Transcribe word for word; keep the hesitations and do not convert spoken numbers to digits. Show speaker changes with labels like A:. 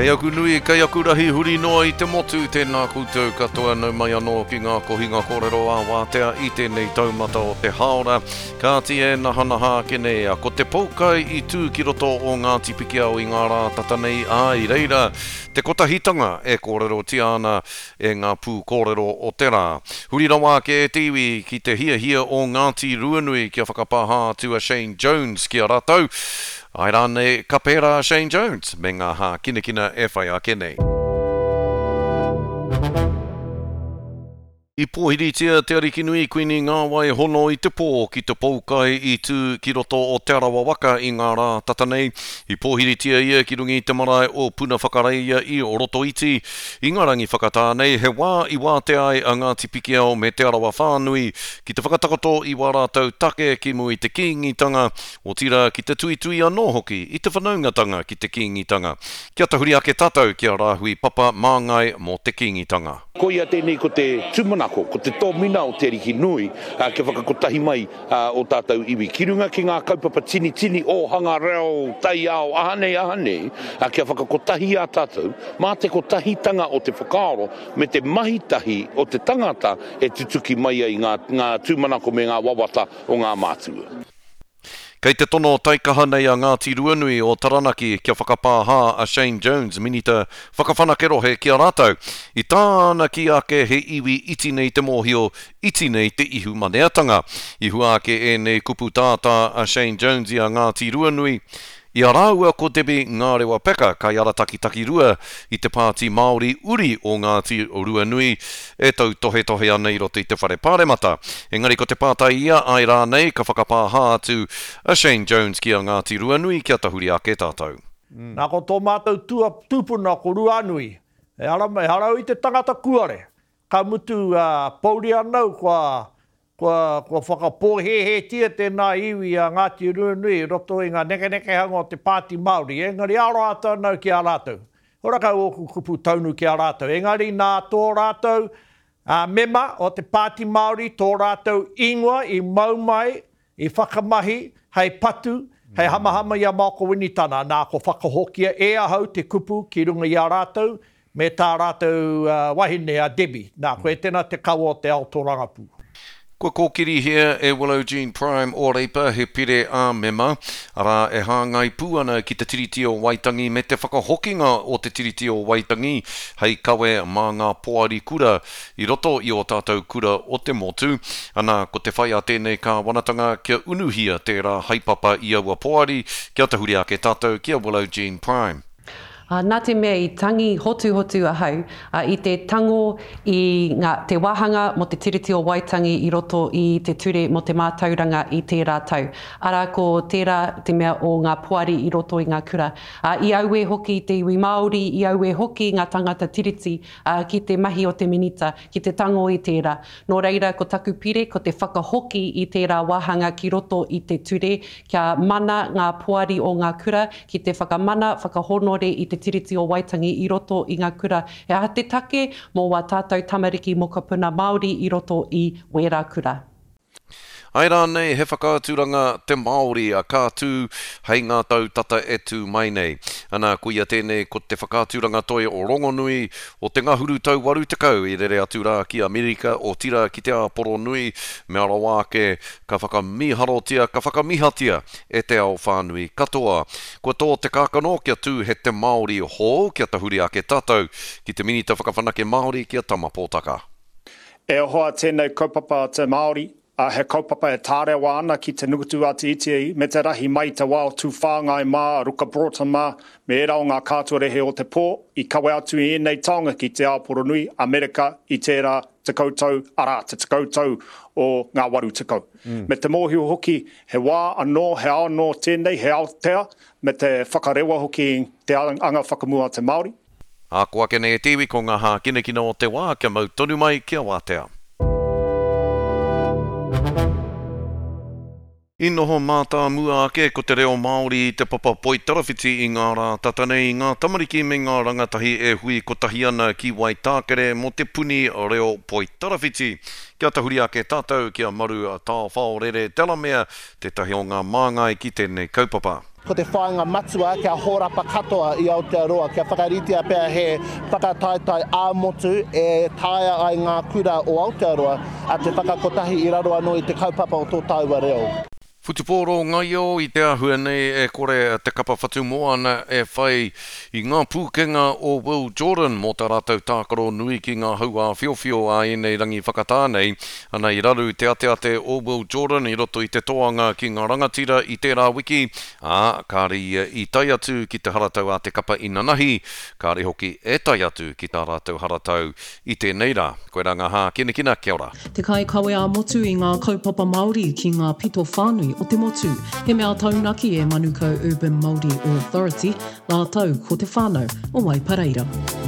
A: Kei aku nui, kei aku rahi huri noa i te motu, tēnā koutou katoa nau mai anō ki ngā kohinga kōrero ā-wātea i tēnei taumata o te hāora. Kāti e nahanaha ake nei, ko te poukai i tū ki roto o Ngāti Pikiao i ngā rā tata nei, ā, i reira te kotahitanga e kōrerotia ana e ngā pūkōrero o te rā. Huri rawa ake e te iwi ki te hiahia o Ngāti Ruanui kia whakapāha atu a Shane Jones ki a rātou. Āe rānei ka pērā a Shane Jones me ngā hākinakina e whai ake nei. I pōhiritia te Arikinui Kuini Ngāwai Hono i te pō ki te poukai i tū ki roto o Te Arawa waka i ngā rā tata nei. I pōhiritia ia ki runga i te marae o Puna Whakareia i Rotoiti. I ngā rangi whakatā nei, he wā i wātea ai a Ngāti Pikiao me Te Arawa whānui ki te whakatakoto i wā rātou take ki mua i te Kīngitanga, otirā ki te tuitui anō hoki i te whanaungatanga ki te Kīngitanga. Kia tahuri ake tātou ki a Rāhui Papa Māngai mō te Kīngitanga.
B: Koia tēnei ko te tūmanako, ko te tōmina o Te Ariki Nui kia whakakotahi mai ō tātou iwi ki runga ki ngā kaupapa tinitini, ōhanga, reo, taiao, aha nei, aha nei, kia whakakotahi i a tātou mā te kotahitanga o te whakaaro me te mahi tahi o te tangata e tutuki mai ai ngā ngā tūmanako me ngā wawata o ngā mātua.
A: Kei te tono taikaha nei a Ngāti Ruanui o Taranaki kia whakapāha a Shane Jones, Minita Whakawhanake Rohe ki a rātou. I tāna kī ake he iwi iti nei te mōhio, iti nei te ihumaneatanga. I hua ake ēnei kupu tātā a Shane Jones i a Ngāti Ruanui, i a rāua ko Debbie Ngārewa Peka, kaiarataki takirua i te Pāti Māori uri o Ngāti Ruanui, e tautohetohe ana i roto i te Whare Pāremata. Engari ko te pātai ia, āe rānei ka whakapāha atu a Shane Jones ki a Ngāti Ruanui kia tahuri ake tātou.
C: Nā ko tō mātou tūpuna ko Ruanui, ehara, ehara au i te tangata kuare, ka mutu pouri ana au kua Kua, kua whakapōhēhētia tēnā iwi a Ngāti Ruanui i roto i ngā nekenekehanga o te Pāti Māori, engari aroha atu ana au ki a rātou. Horakau ōku kupu taunu ki a rātou, engari nā tō rātou mema o te Pāti Māori tō rātou ingoa i mau mai, i whakamahi hei patu, hei hamahama i a Maoko Winitana, nā kua whakahokia e ahau te kupu ki runga i a rātou me tā rātou wahine a Debbie, nā koe tēnā te kawa o te ao tōrangapū.
A: Kua kōkirihia e Willow Jean Prime o Reipa he pire ā-mema, arā, e hāngai pū ana ki te Tiriti o Waitangi me te whakahokinga o te Tiriti o Waitangi hei kawe mā ngā poari kura i roto i ō tātou kura o te motu. Anā, ko te whai a tēnei kāwanatanga kia unuhia tērā haepapa i aua poari, kia tahuri ake tātou ki a Willow Jean Prime.
D: Ā, nā te mea i tangi hotuhotu ahau, ā, i te tango i ngā, te wāhanga mō te Tiriti o Waitangi i roto i te Ture mō te Mātauranga i tērā tau. Arā, ko tērā te mea o ngā poari i roto i ngā kura. Ā, i auē hoki te iwi Māori, i auē hoki ngā tangata Tiriti, ā, ki te mahi o te Minita, ki te tango i tērā. Nō reira, ko taku pire, ko te whakahoki i tērā wāhanga ki roto i te ture, kia mana ngā poari o ngā kura ki te whakamana, whakahōnore i te Tiriti o Waitangi i roto i ngā kura. He aha te take mō wā tātou tamariki mokopuna Māori i roto i wērā kura?
A: Āe rānei he whakaaturanga te Māori a ka tū hei ngā tau tata e tū mai nei. Ana, koia tēnei ko te whakaaturanga toi rongonui o te ngahuru tau waru tekau i rere atu rā ki Amerika, otirā ki te Āporo nui, mea rawa ake ka whakamīharotia, ka whakamihatia e te ao whānui katoa. Kua tō te kākano kia tū he te Māori hou, kia tahuri ake tātou ki te Minita Whakawhanake Māori ki a Tama Pōtaka.
E: E hoa tēnei kaupapa te Māori, ā, he kaupapa e tārewa ana ki te nukutu a te iti me te rahi mai i te wā o Tūwhāngai mā, Ruka Broughton mā, me ērā o ngā kātuarehe o te pō i kawe atu i ēnei taonga ki te ao poronui, Amerika, i tērā tekau tau, arā, te tekau tau o ngā waru tekau. Me te mōhio hoki, he wā anō, he ao anō tēnei, he aotea, me te whakarewa hoki i te anga whakamua a te Māori.
A: Ā, ko ake nei e te iwi, ko ngā hākinakina o te wā, kia mau tonu mai, kia wātea. I noho mātāmua ake ko te reo Māori i te papa poitarawhiti i ngā rā tata nei i ngā tamariki me ngā rangatahi e hui kotahi ana ki Waitākere mō te puni reo poitarawhiti. Kia tahuri ake tātou ki a Maru Taowhaorere Delamere, tētahi o ngā māngai ki tēnei kaupapa.
F: Ko te whāinga matua kia hōrapa katoa i Aotearoa, kia whakaritea pea he whakataetae ā-motu e taea ai ngā kura o Aotearoa te whakakotahi i raro anō i te kaupapa o tō tāua reo.
A: Whutupōro ngaio i te āhua nei e kore te kapa Whatumoana e whai i ngā pūkenga o Will Jordan mō tā rātou tākaro nui ki ngā hau āwhiowhio a ēnei rangi whakatā nei. Ana i raru te ateate o Will Jordan i roto i te toanga ki ngā rangatira i tērā wiki, ā, kāre ia i tae atu ki te haratau a te kapa inanahi, kāre hoki e tae atu ki tā rātou haratau i tēnei rā. Koirā ngā hākinakina, kia ora.
G: Te kaikawe ā-motu i ngā kaupapa Māori ki ngā pito whānui o te motu. He mea taunaki e Manukau Urban Māori Authority, rātou ko te whānau o Waipareira.